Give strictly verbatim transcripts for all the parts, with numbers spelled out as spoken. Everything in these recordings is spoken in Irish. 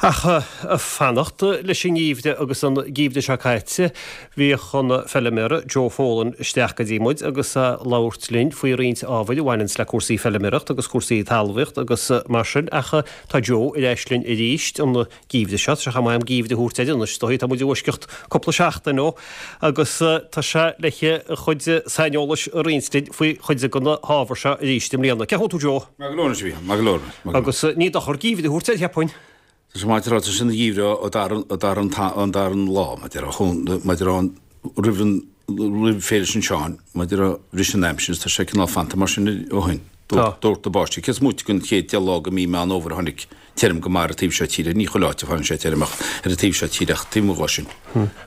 Ach fanacht leis an ngeimhreadh agus an geimhreadh seo caite, bhíodh an feilméara Joe Folan isteach go dtí muid agus labhairt linn faoi roinnt ábhair a bhaineanns le cúrsaí feilméireacht agus cúrsaí talmhaíocht agus mar sin ach tá Joe ar ais linn arís an geimhreadh seo, tá sé chomh maith am geimhreadh a thabhairt air anois, is dóigh, tá muid i bhfoisceacht cúpla seachtain ó agus tá sé le a chuid saineolais a roinnt linn faoi chuid de na hábhair seo arís i mbliana. Cén chaoi a bhfuil tú Joe? Maith go leor anois a Mhícheáil, maith go leor. Agus ní dochar geimhreadh a thabhairt air, cheapfainn. Tá sé maith a rá, tá sé ina gheimhreadh ó dara ó dara an dara lá, mar a déarfá, mar a déarfá roimh an roimh Féile San Seáin, mar a déarfá bhris an aimsir is tá sé cineál fanta mar sin ó shin. Tá. Doirteadh báistí. Cé is móite den chéad deich lá de mí Meán Fhómhair a tháinig tirim go maith ar an taobh seo tíre, ní chuile áit a faigheann sé tirim ach ar an taobh seo tíre ach taobh amuigh dhó sin.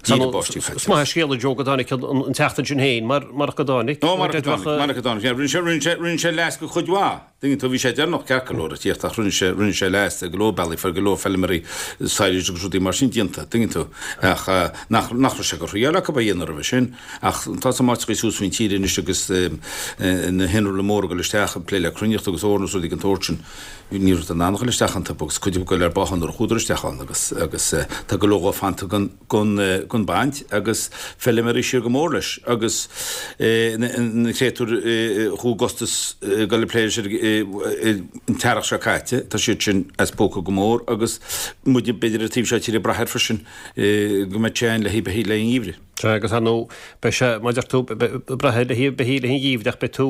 Díreach báistí caite. Is maith an scéal a Joe go dtáinig an tseachtain sin féin mar marach go dtáinig. Ó marach go dtáinig, marach go dtáinig. Rinne sé rinne sé rinne sé leas go chuid mhaith. Tuigeann tú, bhí sé deireanach ceart go leor ag tíocht ach rinne sé, rinne sé leas ar go leor bealaí, fuair go leor feilméaraí silage agus rudaí mar sin déanta, tuigeann tú, ach nach, nach raibh sé go thriail acu a dhéanamh roimhe sin. Ach tá san áiteachaí suas faoin tír anois agus na hinnealra móra ag dul isteach ag plé le cruithneacht agus eorna agus rudaí den tsórt sin, ní raibh in ann a dhul isteach iontu agus cuid acu ag dul ar báthadh nuair a chuadar isteach ann agus, agus tá go leor dhó fanta gan, gan, gan baint agus feilméaraí siar go mór leis agus na créatúir a chuaigh i gcostas ag dul ag plé leis an t-earrach seo caite, tá siad sin as póca go mór agus muide b'fhéidir ar an taobh seo tíre ag brath air freisin go mbeidh sé ann le haghaidh beithígh le haghaidh an gheimhridh. Sea, agus ar ndóigh beidh sé, mar a deir tú, ag brath air le haghaidh beithígh le haghaidh an gheimhridh ach beidh tú,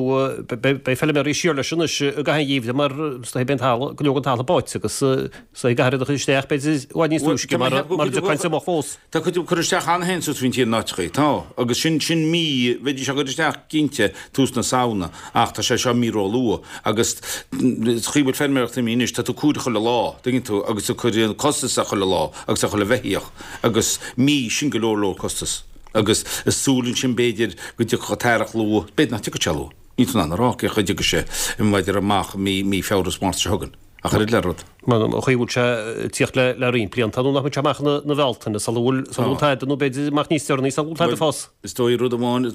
beidh feilméaraí siar leis anois i gcaitheamh an gheimhridh mar is dóigh beidh an talamh, go leor den talamh báite agus is dóigh caithfear iad a chur isteach b'fhéidir i bhfad níos túisce mar a dtiocfaidh an triomach fós. Tá cuid acu curtha isteach cheana féin suas faoin tír in áiteachaí, tá, agus sin, sin mí, bheidís á gcur isteach cinnte tús na Samhna ach tá sé seo mí róluath agus sa chaoi a bhfuil feilméaracht imithe anois, tá tú ag cumhdach chuile lá, tuigeann tú, agus ag cur an costas ar chuile lá agus ar chuile bheithíoch agus mí, sin go leor leor costas agus ag súil ansin b'fhéidir go dtiocfadh an t-earrach luath, b'fhéidir nach dtiocfaidh sé luath, níl tú in ann a rá cén chaoi a dtiocfaidh sé, b'fhéidir amach mí, mí Feabhra is Márta seo chugainn. Ach oiread le rud. Mar an chaoi a bhfuil sé ag tíocht le le roinnt blianta nó nach mbeidh sé amach ina Bhealtaine sula bhfuil sula bhfuil tada nó b'fhéidir amach níos deireanaí sula bhfuil tada fós. Is dóigh rud amháin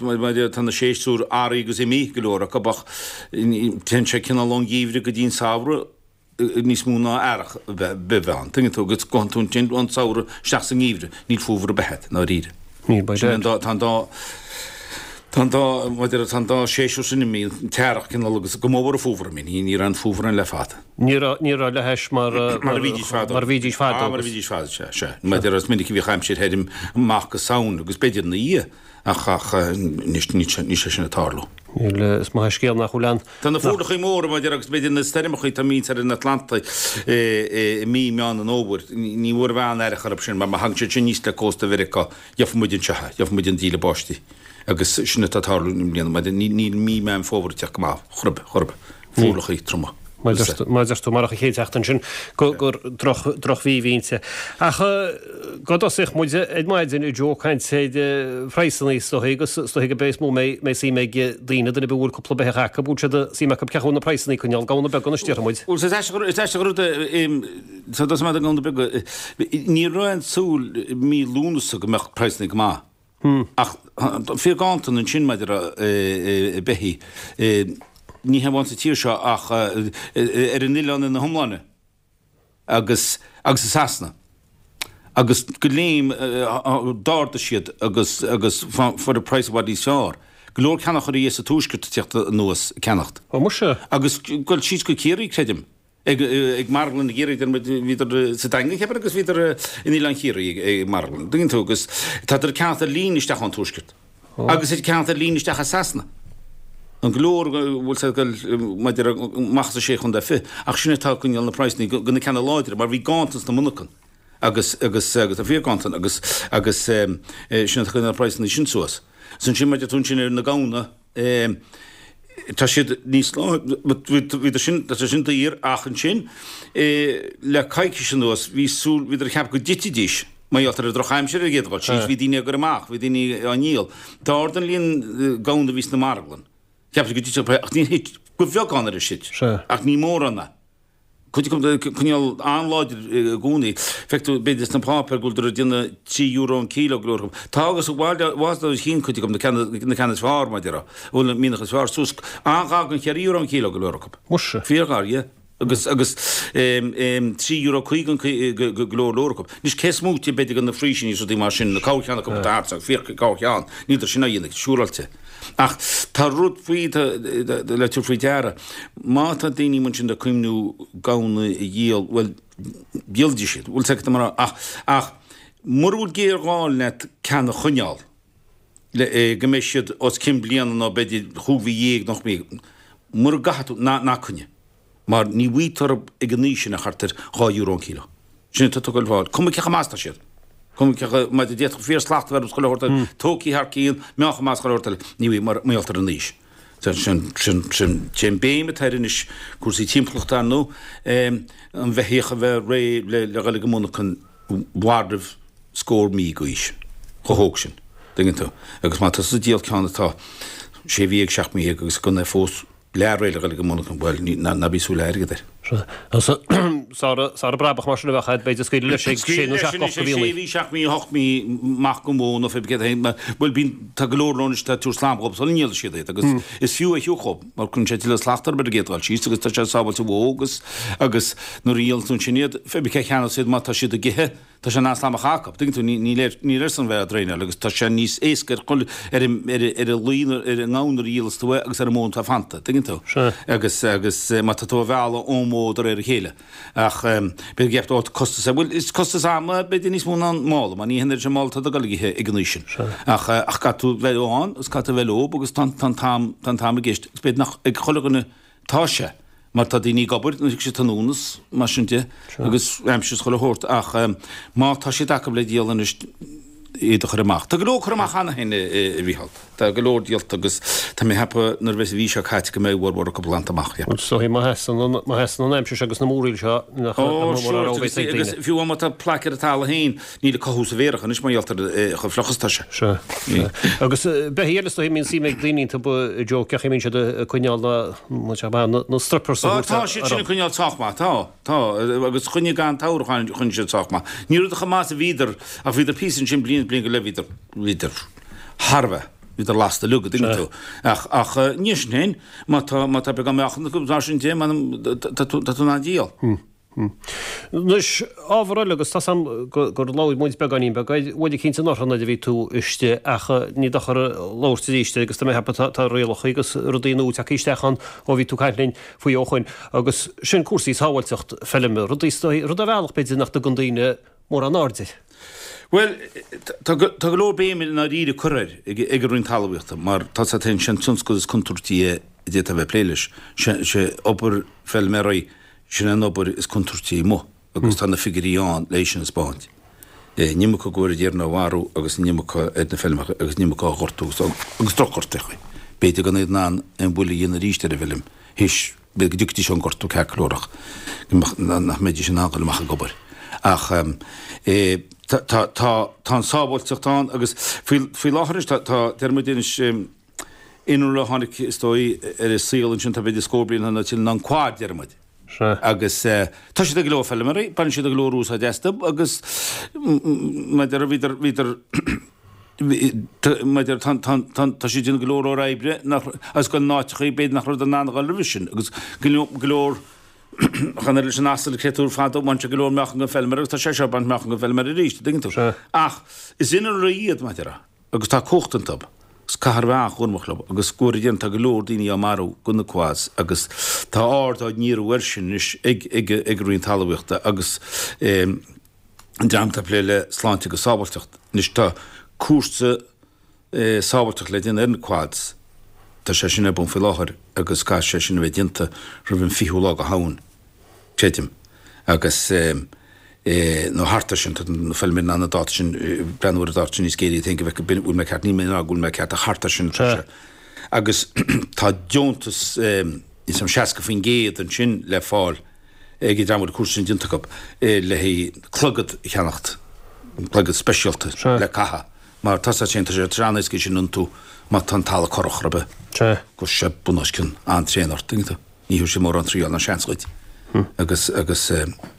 tá na séasúir earraigh agus imithe go leor acu ach téann sé cineál ón gheimhreadh go dtí an samhradh níos mó ná earrach a bheith ann. Tuigeann tú agus gabhann tú ansin ón samhradh isteach sa ngeimhreadh níl fómhar ar bith agat i ndáiríre. Níl, by Sin an dá tá an dá Tá an dá, mar a déarfá, tá an dá séasúr sin imithe, an t-earrach cineál agus go mór an fómhar imithe, ní, ní raibh an fómhar ann le fada. Ní raibh, ní raibh le hais mar, Mar a bhídís fadó. mar a bhídís fadó. Ah, mar a bhídís fadó, sea, sea. Mar a déarfá, is minic a bhíodh aimsir thirim amach go Samhain agus b'fhéidir ina dhiaidh, ach, ach anois níl sé, níl sé sin ag tarlú. Níl, is maith an scéal nach bhfuil ann. Tá na fuarlachaí móra, mar a déarfá, agus b'fhéidir na stoirmeachaí atá imithe ar an Atlantaigh i mí Meán an Fhómhair, ní bhfuair a bhean aon aireach orthu sin, mar má thagann siad sin aníos le cósta Mheiriceá, gheobhaidh muid anseo é, gheobhaidh muid an díle báistí. Agus sin atá ag tarlú i mbliana, mar níl mí Meán Fómhair ag teacht go maith, chor ar bith, chor ar bith. Fuarlachaí troma. Mar a deir tú, marach an chéad seachtain sin gur drochmhí a bhí inti. Ach go dtosaíodh muid ar maidin a Joe ag caint ar phraghsanna is dóigh agus is dóigh gurb é is mó a mbeidh suim ag daoine, duine ar bith a bhfuil cúpla beithíoch acu, bhfuil siad suim acu cén chaoi a bhfuil na praghsanna ag coinneáil gamhna beaga anois déarfaidh muid. Bhuel, is aisteach an rud é, tá dul amach do ghamhna beaga, ní raibh aon súil mí Lúnasa go mbeadh praghsanna go maith. Ach fíor-ghanntan ansin maidir le beithígh, ní hamháin sa tír seo ach ar an oileán ina hiomláine agus agus i Sasana. Agus go léim d'ardaigh siad agus agus fuair an praghas i bhfad níos fearr. Go leor ceannaitheoirí as an tuaisceart ag tíocht anuas ag ceannacht. Ó muise! Agus ag dul síos go Ciarraí, creidim. Ag marglann i gCiarraí, deir muid, bhíodar sa Daingean, cheapfainn, agus bhíodar in Oileán Chiarraí ag marglann. Tuigeann tú, agus tádar ag ceannacht ar líne isteach ón Tuaisceart. Agus ag ceannacht ar líne isteach as Sasana. An go leor a bhfuil sé ag dul maidir amach as an sé chontae fiche, ach sin atá ag coinneáil na praghsanna go na ceanna láidre, mar bhí ganntan sna monarchana agus agus agus tá fíor-ghanntan agus agus sin atá ag coinneáil na praghsanna sin suas. Is ansin maidir tú ansin ar na gamhna, Tá siad níos bhíodar sin tá sé sin daor ach ansin le coicís anuas bhí súil bhíodar ag ceapadh go dtitfidís mar gheall ar an drochaimsir ar an gcéad dhul síos bhí daoine á gcur amach bhí daoine á ndíol. D'ardaigh an líon gamhna a bhí sna marglann. Cheap siad go dtitfeadh ach níor thit go bheagán ar ais thit ach ní mórán é. Cuid acu ag coinneáil an-láidir i gcónaí. Feic tú, b'fhéidir sna páipéir go bhfuil ag déanamh trí euro an kilo go leor acu. Tá agus bhfad ó chinn cuid acu, na ceanna is fearr, mar a déarfá, a bhfuil an mianach is fearr, suas an-ghar don cheithre euro an kilo go leor acu. Muise. Fíorghar, yeah. Agus agus trí euro caoga go leor leor acu. Anois cé is móite b'fhéidir de na Friesian is rudaí mar sin, na corrcheann acu atá thart, féach corrcheann, níltear sin á dhéanamh, siúráilte. Ach tá rud faoi le tabhairt faoi deara, má tá daoine mar sin ag cuimhniú gamhna a dhíol, bhuel, díolfaidh siad, bhfuil a fhios agat mar ach ach mura bhfuil géarghá leat ceann a choinneáil, le go mbeidh siad os cionn bliana nó b'fhéidir chúig mhí dhéag nó ocht mí, mura gcaithfidh tú, ná ná coinnigh. Mar ní bhfaighidh tú orthu ag an aois sin ach thart ar dhá euro an kilo. Sin atá tú ag goil a fháil. Cuma cé chomh maith is atá siad. Cuma cé chomh maith, d'fhéadfadh fíorshlacht a bheith orthu chuile shórt eile, tógtha thar cionn, meáchan maith chuile shórt eile. Ní bhfaighidh mar gheall ar an aois. Sin, sin, sin, sé an béim atá air anois, cúrsaí timpeallachta ar ndóigh, an bheithíoch a bheith réidh le le dhul ag an monarchan roimh scór mí d'aois, chomh hóg sin. Tuigeann tú? Agus má tá tusa ag díol ceann atá sé mhí dhéag, seacht mí dhéag agus gan é fós leath réidh le dhul ag an monarchan, bhuel, ná bí ag súil le airgead air. Sara, sara brabach mar sin a bheadh agat, b'fhéidir scaoileadh leis ag sé nó seacht, ocht de mhíonna. Sé mhí, seacht mí, ocht mí amach go mó nó fé céad a haon, mar, bhuel, bíonn, tá go leor leo anois atá ag tabhairt slam dhób sula ndíolfaidh siad iad agus is fiú é a thiúcadh dhób mar cuireann sé tuilleadh slachta orthu ar an gcéad dul síos agus tá sé sábháilte bhó agus, agus nuair a dhíolann tú ansin iad, fé cé a cheannós iad má tá siad ag ithe. Tá sé in ann slam a chaitheamh acu. Tuigeann tú, níl air, níl airsean bheith á dtraenáil agus tá sé níos éasca ar chuile, ar an, ar an, ar an lao, ar an ngamhain nuair a dhíolas tú é agus ar an mbó atá fanta. Tuigeann tú? Sea. Agus, agus má tá tú á mhealladh ón mbó de réir a chéile. Ach b'fhéidir go gceapfá, ó, costas é. Bhuel, is costas ama b'fhéidir níos mó ná an mála, mar ní hionann an mála atá ag dul ag ithe ag an aois sin. Sea. Ach, ach caithfidh tú bheith ann agus caithfidh tú bheith leob agus tá an, tá an t-am, tá an t-am i gceist. Agus b'fhéidir nach ag chuile dhuine atá sé. Mar tá daoine ag obair nuair a thig siad tráthnóna is mar sin de agus aimsir is chuile shórt ach má tá siad acu le díol anois iad a chur amach. Tá go leor curtha amach cheana féin a Mhícheáil. Tá go leor díolta agus tá mé ag ceapadh nuair a bheas an mhí seo caite go mbeidh a bhformhór acu glanta amach. Is dóigh má sheasann an má sheasann an aimsir seo agus na múraíl seo nach Ó nach sure mór a agus bheas ag agus daoine. fiú má tá plaic ar an talamh féin níl ag cothú sa bhféarach anois mar gheall ar chomh fliuch is atá sé. Sea, sea. Agus beithígh eile is dóigh a mbíonn suim ag daoine iontu, Joe, cén chaoi a mbíonn siad ag coinneáil na, na, na strippers a Á, thabhairt tá siad sin ag coinneáil sách maith, tá, tá, agus choinnigh gan tsamhradh choinnigh choinnigh siad sách maith. Ní rabhadar chomh maith is a bhíodar, ach bhíodar píosa ansin bliain is bliain go leith bhíodar, bhíodar thar a bheith, bhíodar lasta uilig, an dtuigeann tú. Ach, ach ní sin féin, má tá, má tá beagán meáchan acu mar sin de, m'anam, tá tú, tá tú in ann díol. Anois, ábhar eile, agus tá 's a'm gur labhair muid beagáinín beag air uair eicínt anuraidh nuair a bhí tú istigh ach ní dochar labhairt arís air agus tá mé ag ceapadh tá rialacha agus rudaí nua tagtha isteach ann ó bhí tú ag caint linn faoi ó shoin agus sin cúrsaí sábháilteacht feilme, rudaí is dóigh, rud ar bhealach b'fhéidir nach dtugann daoine mórán aird air. Bhuel, tá go leor béime i ndáiríre curtha air ag an Roinn Talmhaíochta mar tá 's agat féin, sé an tionscal is contúirtí é a d'fhéadfá a bheith ag plé leis, sé obair feilméaraí. Sin an obair is contúirtí amuigh agus tá na figiúirí ann le sin a 'speáint. An iomarca go bhfuair an á mharú agus an iomarca ar na feilmeacha agus an iomarca á ghortú agus drochghortaíochaí. B'fhéidir gan iad in ann aon bhuille a dhéanamh arís ar an bhfeilm théis, b'fhéidir go dtiocfaidís ón ngortú ceart go leor ach nach mbeidís in ann dul amach ag obair. Ach tá, tá, tá, tá an sábháilteacht ann agus faoi, faoi láthair anois tá, tá, deir muid anois, innealra a tháinig is dóigh ar an saol ansin tá b'fhéidir scór bliain nó tuilleadh ná an quad, deir muid. Sea. Agus tá siad ag go leor feilméaraí, baineann siad go leor úsáid astu agus maidir bhíodar, bhíodar, maidir tá, tá, tá, tá siad ag déanamh go leor leor oibre nach, agus go n-áiteachaí b'fhéidir nach rabhadar in ann a dhul roimhe sin agus go leor, go leor chan oiread leis an asal créatúr fadó, bhain sé go leor meáchan den feilméara agus tá sé seo ag baint meáchan den feilméara arís, an dtuigeann tú? Sea. Ach is innealra iad, maidir agus tá cumhacht iontu. Is caithfear a bheith an-chúramach leo agus go bhfóire Dia tá go leor daoine á marú go na quads agus tá aird á ndíriú air sin anois ag ag ag an Roinn Talmhaíochta agus an dream atá ag plé le sláinte agus sábháilteacht. Anois tá cúrsa sábháilteachta le déanamh ar na quads, tá sé sin ar bun faoi láthair agus caithfidh sé sin a bheith déanta roimh an fichiú lá de Shamhain. creidim, agus nó thart air sin, tá na feilméaraí in ann an dáta sin, breathnú ar an dáta sin níos géire iad féin go bhfeice bhfuil mé ceart, níl mé ag rá go bhfuil mé ceart ach thart air sin atá sé. Agus tá deontas níos mó seasca faoin gcéad ansin le fáil ag an dream a bhfuil an cúrsa sin déanta acu le haghaidh clogad a cheannacht, clogad speisialta le caitheamh mar tá sé sin, tá sé an-éasca sin a iontú má tá an talamh corrach ar bith. Go sé bun os cionn an-tréan ort, tuigeann tú. Ní thabharfaidh sé mórán triail ná seans dhuit. Agus, agus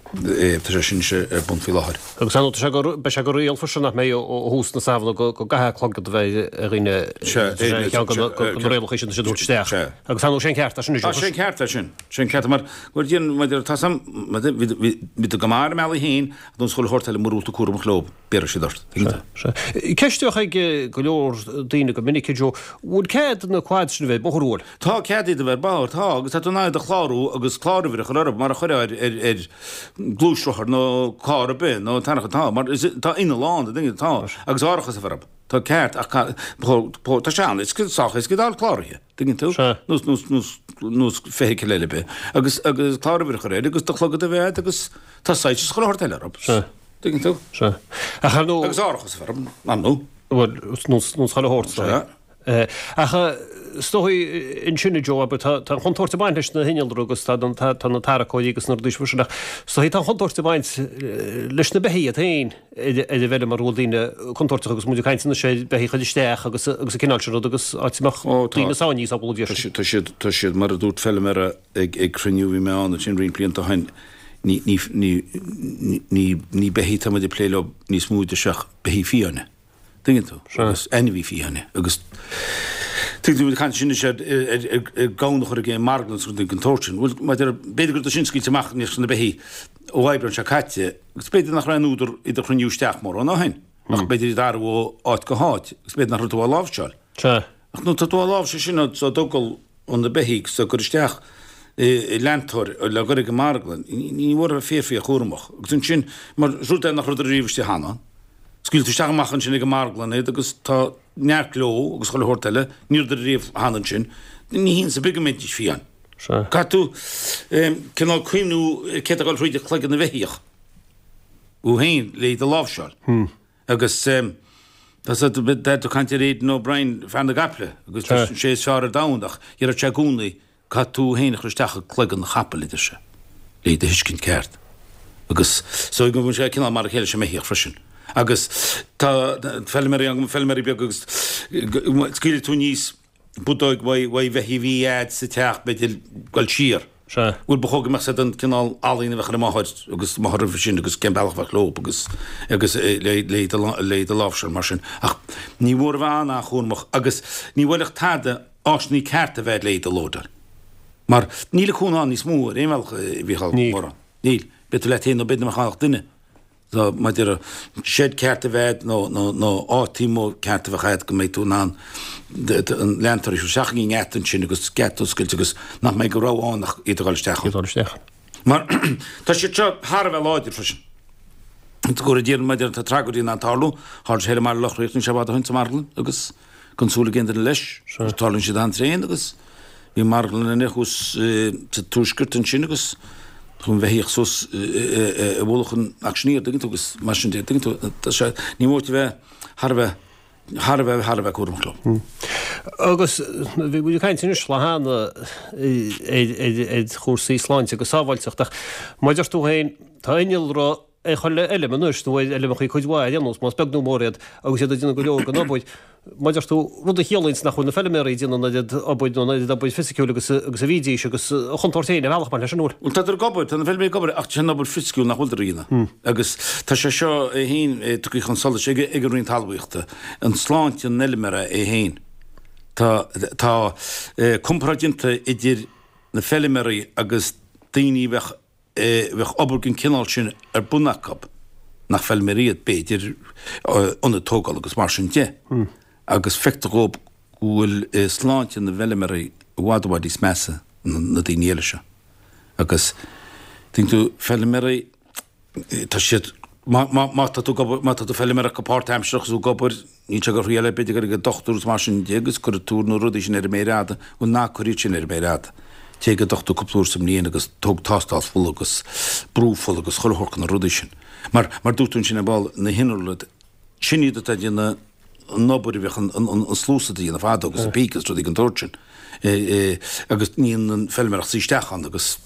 Tá sé sin ar bun faoi láthair. Agus an tá sé go beidh sé go riail freisin nach mbeidh ó thús na Samhna go go gcaithfidh clogad a bheith ar dhaoine ceann de na rialacha sin a dúirt isteach. Agus an sé an ceart é sin Tá sé an ceart é sin. Sé an ceart mar go dtí mar tá sam bhí go maith ar a mbealaí féin don scoil shórt eile mura bhfuil tú cúramach leo béarfaidh siad ort. Ceist a bheadh ag go leor daoine go minic Joe, bhfuil cead na quads sin a bheith bóthar bhfuil? Tá cead iad a bheith bóthar, tá, agus tá tú in ann iad a chlárú agus cláruimhir a chur orthu mar a chuirfeá ar ar ar gluaisrothar nó carr ar bith nó tarrac tá, mar is tá inneall ann, tá, agus árachas a bheith orthu. Tá ceart ach tá sé an, is sách éasca iad a fháil cláraithe, tuigeann tú? Nós nós nós nós feithicil eile ar bith agus agus cláruimhir a chur air agus do chlogad a bheith agat agus tá soilse is chuile shórt eile orthu. Tuigeann tú? Sea. Ach ar ndóigh. Agus árachas a bheith orthu, ar ndóigh. Bhuel, nós nós chuile shórt, is dóigh. Sea. Ach is dóigh ansin a Joe, abair, tá tá an chontúirt ag baint leis na hinnealra agus tá tá tá na tarracóirí agus na rudaí sin ach is dóigh tá an chontúirt ag baint leis na beithígh iad féin ar ar an bhfeilm mar go bhfuil daoine contúirteach agus muid ag caint anois ar beithígh a chur isteach agus agus an cineál sin rud agus áit a mbeadh Ó tá. daoine sáinnithe sábháil Tá siad tá siad tá siad mar a dúirt feilméara ag ag cruinniú a bhí mé ann ansin roinnt blianta ó shin ní ní ní ní ní beithígh atá muid ag plé leo níos mó de ach beithígh fiáine. Tuigeann tú? Agus ainmhí fiáine agus tuigeann tú muid ag caint sin anois ar ar ar ar gamhna a chur ag an marglann agus rudaí den tsórt sin. Bhuel má deir b'fhéidir go raibh sin scaoilte amach anois na beithígh ó Aibreán seo caite agus b'fhéidir nach raibh aon údar iad a chruinniú isteach mórán ó shin ach b'fhéidir iad a athrú ó áit go háit agus b'fhéidir nach raibh tú á láimhseáil. Sea. Ach nuair atá tú á láimhseáil sin á dtógáil ó na beithígh is á gcur isteach i leantóir le dhul ag an marglann, ní mór a bheith fíor fíor chúramach. Agus ansin, mar rud é nach rabhadar riamh istigh cheana, scaoil tú isteach amach ansin ag an marglann iad agus tá neart gleo agus chuile shórt eile, ní rabhadar riamh cheana ansin, ní hiontas ar bith go mbeidís fiáin. Caithfidh tú cineál cuimhniú céard atá ag dul thríd chloigeann na bheithíoch thú féin le iad a láimhseáil. Agus tá tá tú ag caint ar Aidan O'Brien, fear na gcaiple, agus tá sé is fearr ar domhan ach deireadh sé i gcónaí, caithfidh tú féin a chur isteach i gcloigeann an chapaill, a deir sé, le iad a thuiscint ceart. Agus so go bhfuil sé cineál mar a chéile leis an mbeithíoch freisin. Agus tá feilméaraí ann, feilméaraí beaga agus scaoilfidh tú aníos bodóg uaidh bheithígh a bhí a'd sa teach, b'fhéidir, dul siar. Sea. Bhuel, ba chóir go mbeadh siad an cineál ealaín a bheadh ar a máthair agus máthair roimhe sin agus cén bealach a bheadh leo agus agus le le iad a le iad a láimhseáil mar sin. Ach ní mór a bheith an-chúramach agus ní bhuailfeadh tada áiseanna cearta a bheith le iad a lódáil. Mar níl an cúnamh ann níos mó ar aon bhealach, a Mhícheál, Níl. mórán. Níl. Beidh tú leat féin nó b'fhéidir nach mbeadh ann ach duine. So, maidir le seid ceart a bheith nó nó nó áit taobh amuigh ceart a bheith agat go mbeidh tú in ann an leantóir a chur isteach i ngeata ansin agus geata a oscailt agus nach mbeidh de rogha ann ach iad a dhul isteach ann. Iad a dhul isteach. Mar tá siad seo thar a bheith láidir freisin. Go raibh maidir tá tragóidí in ann tarlú, tharla sé i mBaile Locha Riach níl sé i bhfad ó shin sa marglann agus gan súil ag aon duine leis. Tarlaíonn siad an-tréan agus bhí marglann ann thuas sa tuaisceart ansin agus chuaigh an bheithíoch suas i bhfolach an auctioneer, tuigeann tú, agus mar sin de, tuigeann tú, tá sé, ní mór a bheith thar a bheith, thar a bheith, thar a bheith cúramach leo. Agus bhí muid ag caint anois lá cheana ar chúrsaí sláinte agus sábháilteachta ach mar a deir tú féin, tá innealra ar chuile fheilm anois, nó ar fheilmeacha cuid mhaith ar aon nós, más beag nó mór iad, agus iad ag déanamh go leor den obair. Mar a deir tú, rud a chiallaíonns nach bhfuil na feilméaraí ag déanamh an oiread obair nó an oiread obair fisiciúil agus agus a bhídís, agus an chontúirt féin ar bhealach mar leis an bhfuil. Bhuel, tádar ag obair, tá na feilméaraí ag obair, ach sin obair fisiciúil nach bhfuiltear a dhéanamh. Agus tá sé seo é féin tugtha chun solais ag ag an Roinn Talmhaíochta, an sláinte an fheilméara é féin. Tá tá comparáid déanta idir na feilméaraí agus daoine a bheadh bheadh obair den chineál sin ar bun acu, nach feilméaraí iad, b'fhéidir, ionad tógála agus mar sin de, agus feictear dhóibh go bhfuil sláinte na bhfeilméaraí i bhfad i bhfad níos measa ná na daoine eile seo. Agus, tuigeann tú, feilméaraí, tá siad, má, má, má tá tú ag obair, má tá tú ag feilméireacht go páirtaimsearach agus tú ag obair, níl sé ag thriail ar b'fhéidir ag an dochtúir agus mar sin de agus cuirfidh tú na rudaí sin ar an méar fhada, bhuel ná cuir iad sin ar an méar fhada. Téigh ag an dochtúir cúpla uair sa mbliain agus tóg tástáil fola agus brú fola agus chuile shórt de na rudaí sin. Mar, mar dúirt tú ansin ar ball, na hinnealra, sin iad atá ag déanamh an obair a bheadh an, an, an sluasaid a dhéanamh fadó agus an píce agus rudaí den tsórt sin. Agus níonn an feilméara ach suí isteach ann agus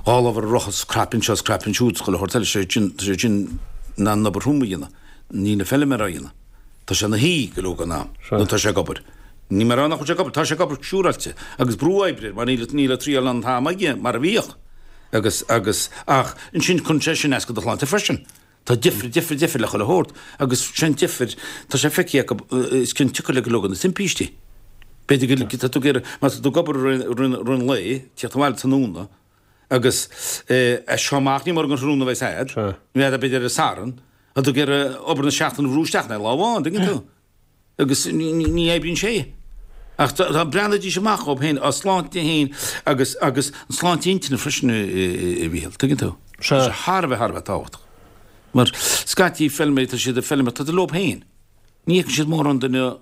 dhá lámh ar an rothar is cnaipe anseo is cnaipe ansiúd is chuile shórt eile, sé sin, tá sé sin in ann an obair throm a dhéanamh. Níl an feilméara á dhéanamh. Tá sé ina shuí go leor den am nó tá sé ag obair. Níl mé ag rá nach bhfuil sé ag obair, tá sé ag obair siúráilte agus brú oibre air mar níl níl an triail an t-am aige mar a bhíodh. Agus, agus, ach ansin cuireann sé sin as do do shláinte freisin. Tá difir, difir, difir le chuile shórt agus sin difir, tá sé feicthe acu is cionn tiocair le go leor de na timpistí. B'fhéidir go, tá tú ag iarraidh, má tá tú ag obair i rith an lae, tíocht abhaile tráthnóna agus as seo amach ní mór don tráthnóna a bheas a'd, bheadh b'fhéidir ar an Satharn, tá tú ag iarraidh obair na seachtaine a bhrú isteach in lá amháin, tuigeann tú? Agus ní oibríonn sé. Ach dá mbreathnóidís amach dhóibh féin, a sláinte féin agus agus an sláinte intinne freisin a Mhíchíl, tuigeann tú? Tá sé thar a bheith, thar a bheith tábhachtach. Mar scaití feilméaraí, tá siad ag feilméaracht, tá siad leo féin. Ní fheiceann siad mórán duine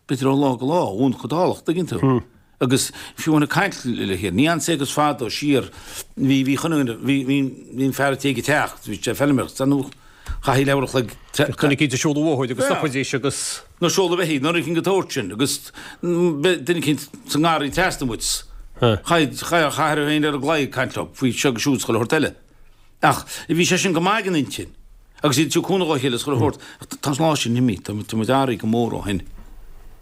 b'fhéidir ó lá go lá, ón chodálach, tuigeann tú? Agus fiú amháin ag caint le chéile, ní ansa agus fadó siar, bhí, bhí chuile dhuine, bhí, bhí, bhí an fear a' tí ag an teach, bhí sé ag feilméaracht, ar ndóigh. Chaithfí leathuair a chloig. Duine eicínt ag siúl an bhóthair agus stopaidís agus. Nó seoladh beithígh, nó rud eicínt den tsórt sin agus duine eicínt sa ngarraí trasna uait. Chaithfeá féin ar an gclaí ag caint leo faoi seo agus siúd is chuile shórt eile. Ach bhí sé sin go maith don intinn agus iad ag tabhairt cúnamh dá chéile is chuile shórt. Tá an lá sin imithe, tá muid athraithe go mór ó shin.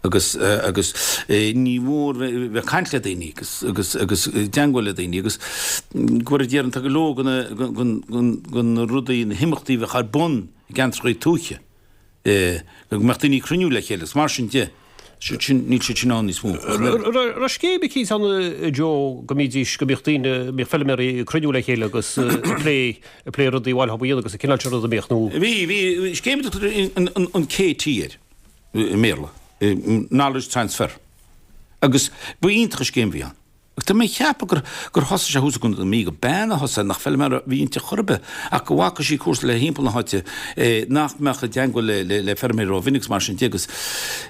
agus agus ní mór bheith ag caint le daoine agus agus agus i dteangmháil le daoine agus go bhfuil déarfainn tá go leor de na rudaí na himeachtaí a bheadh ar bun i gceantracha tuaithe go mbeadh daoine ag cruinniú le chéile agus mar sin de sin níl siad sin ann níos mó. Raibh scéim eicínt ann a Joe go mbídís go mbíodh daoine mbíodh feilméaraí ag cruinniú le chéile agus ag plé ag plé rudaí a bhfuil a dhéanamh agus an cineál sin ruda a mbíodh nó. Bhí bhí scéim a dtugtar an KT air. i mBéarla, Knowledge Transfer. Agus ba iontach an scéim a bhí ann. Agus tá mé ag ceapadh gur gur thosaigh sé thuas i gContae na Mí, gur bean a thosaigh, nach feilméara a bhí inti chor ar bith, ach go bhfaca sí cúrsaí le thimpeall na háite nach mbeadh i dteangmháil le le le feirmeoirí rómhinic agus mar sin de agus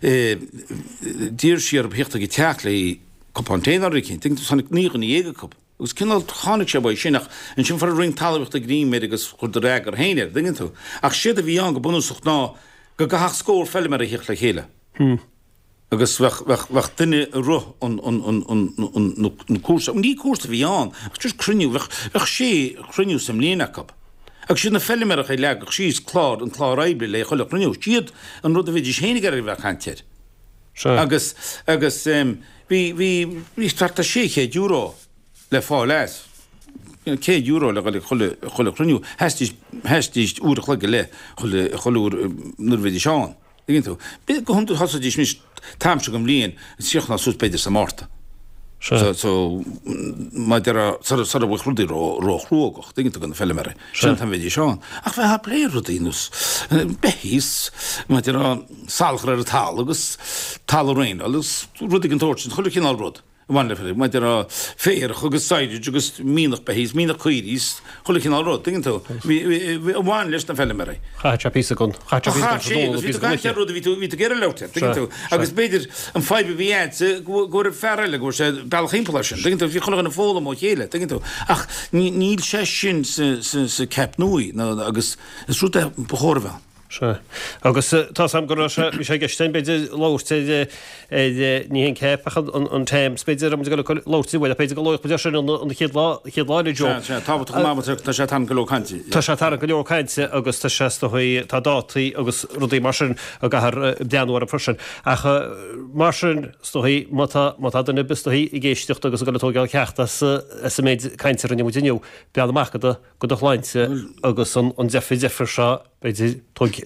d'iarr sí orthu theacht ag an teach le cupán tae nó rud eicínt. Tháinig naoi dhuine dhéag acu. Agus cineál tháinig sé uaidh sin ach ansin fuair an Roinn Talmhaíochta greim air agus chuireadar eagar féin air, dtuigeann tú. Ach séard a bhí ann go bunúsach ná go gcaithfeadh scór feilméara a theacht le chéile agus bheadh, bheadh, bheadh duine ag rith an, an, an, an, an, an cúrsa, ní cúrsa a bhí ann ach just cruinniú, bheadh, bheadh sé chruinniú sa mbliain acu. Agus siad na feilméaracha a leagfadh síos clár, an clár oibre le chuile chruinniú, siad an rud a bheidís féin ag iarraidh a bheith ag caint air. Agus, agus bhí, bhí, bhí thart ar sé chéad euro le fáil as. Céad euro le dhul ag chuile, chuile chruinniú. Sheasaidís, sheasaidís uair a chloig go leith chuile, chuile uair nuair a bhídís ann. Tuigeann tú? B'fhéidir go hiondúil thosaídís anois t-am seo den bhliain, chríochnódh suas b'fhéidir sa Márta. So, so, mar a déarfá, sara, sara bhfuil rudaí ró, ró-chruógach, tuigeann tú, do na feilméaraí. Sin an t-am a bheidís ann. Ach bheifeá ag plé rudaí nós beithígh is, mar a déarfá, salachar ar an talamh agus talamh a dhraenáil agus rudaí den tsórt sin, chuile chineál rud. a bhain le, mar a déarfá, féarach agus silage agus mianach beithígh is mianach caoirigh is chuile chineál rud, tuigeann tú, a bhain leis na feilméaraí. Chaith sé píosa den, chaith sé píosa den tráthnóna, píosa den oíche. Bhí tú ag caint ar rud a bhí tú, bhí tú ag iarraidh labhairt air, tuigeann tú, agus b'fhéidir an fadhb a bhí a'dsa go go raibh fear eile go raibh sé bealach thimpeall air sin, tuigeann tú, bhí chuile dhuine ag foghlaim ó chéile, tuigeann tú, ach níl sé sin sa, sa, sa CAP nua nó agus is rud é ba chóir a bheith ann. Sea. Agus tá's a'm go raibh sé, bhí sé i gceist againn b'fhéidir labhairt ar, ar, ní hé an CAP ach an, an TAMS b'fhéidir, raibh muid ag dul labhairt air, bhuel b'fhéidir go labhróidh muid air sin an, an chéad lá, chéad lá eile Joe. Sea, sea, tábhachtach go maith, tá sé ag tarraingt go leor cainte. Tá sé ag tarraingt go leor cainte agus tá sé is dóigh, tá dátaí agus rudaí mar sin a gcaithfear breathnú orthu freisin. Ach mar sin, is dóigh, má tá, má tá duine ar bith is dóigh ag éisteacht agus ag dul ag tógáil ceacht as, as an méid cainte a rinne muid inniu, breathnaigh amach do do, do do shláinte agus an, an deifir deifir seo B'fhéidir,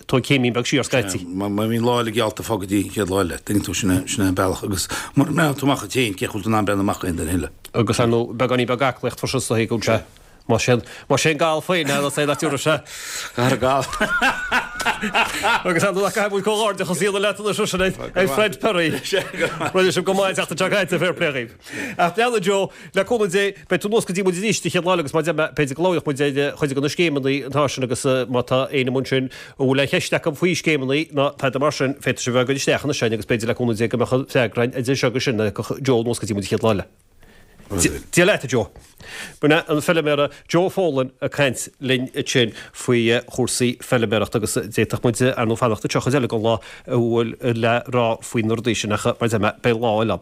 tóg céimín beag siar scaití. Má bhíonn lá eile geallta fág go dtí an chéad lá eile, tuigeann tú, sin é an bealach agus mura mbreathnaíonn tú amach duit féin, cé chaoi a bhfuil tú in ann breathnú amach d'aon duine eile? Agus ar ndóigh, beagáinín beag aclaíocht freisin is dóigh go bhfuil sé, más é más é an gal féin é, é nach dtiúrfaidh sé. Gar gal. Agus ar ndóigh, caithfidh muid comhghairdeachas a dhéanamh leat anois freisin, a Fred Perry. Rinne sibh go maith an tseachtain seo caite, fair play dhaoibh. Ach breathnaigh Joe, le cúnamh Dé, beidh tú anuas go dtí muid arís an chéad lá eile agus mar a deir mé, b'fhéidir go labhróidh muid ar chuid de na scéimeanna atá ansin agus má tá éinne amuigh ansin a bhfuil aon cheist acu faoi scéimeanna ná tada mar sin, féadfaidh sibh a bheith ag cur isteach anois againn agus b'fhéidir le cúnamh Dé go mbeadh an freagra againn idir seo agus sin ag Joe anuas go dtí muid an chéad lá eile. Dia leat, a Joe. B'in é an feilméara Joe Folan ag caint linn ansin faoi chúrsaí feilméarachta agus d'fhéadfadh muid ar ndóigh fanacht anseo chuid eile den lá a bhfuil le rá faoi na rudaí sin ach mar a deir mé beidh lá eile ann.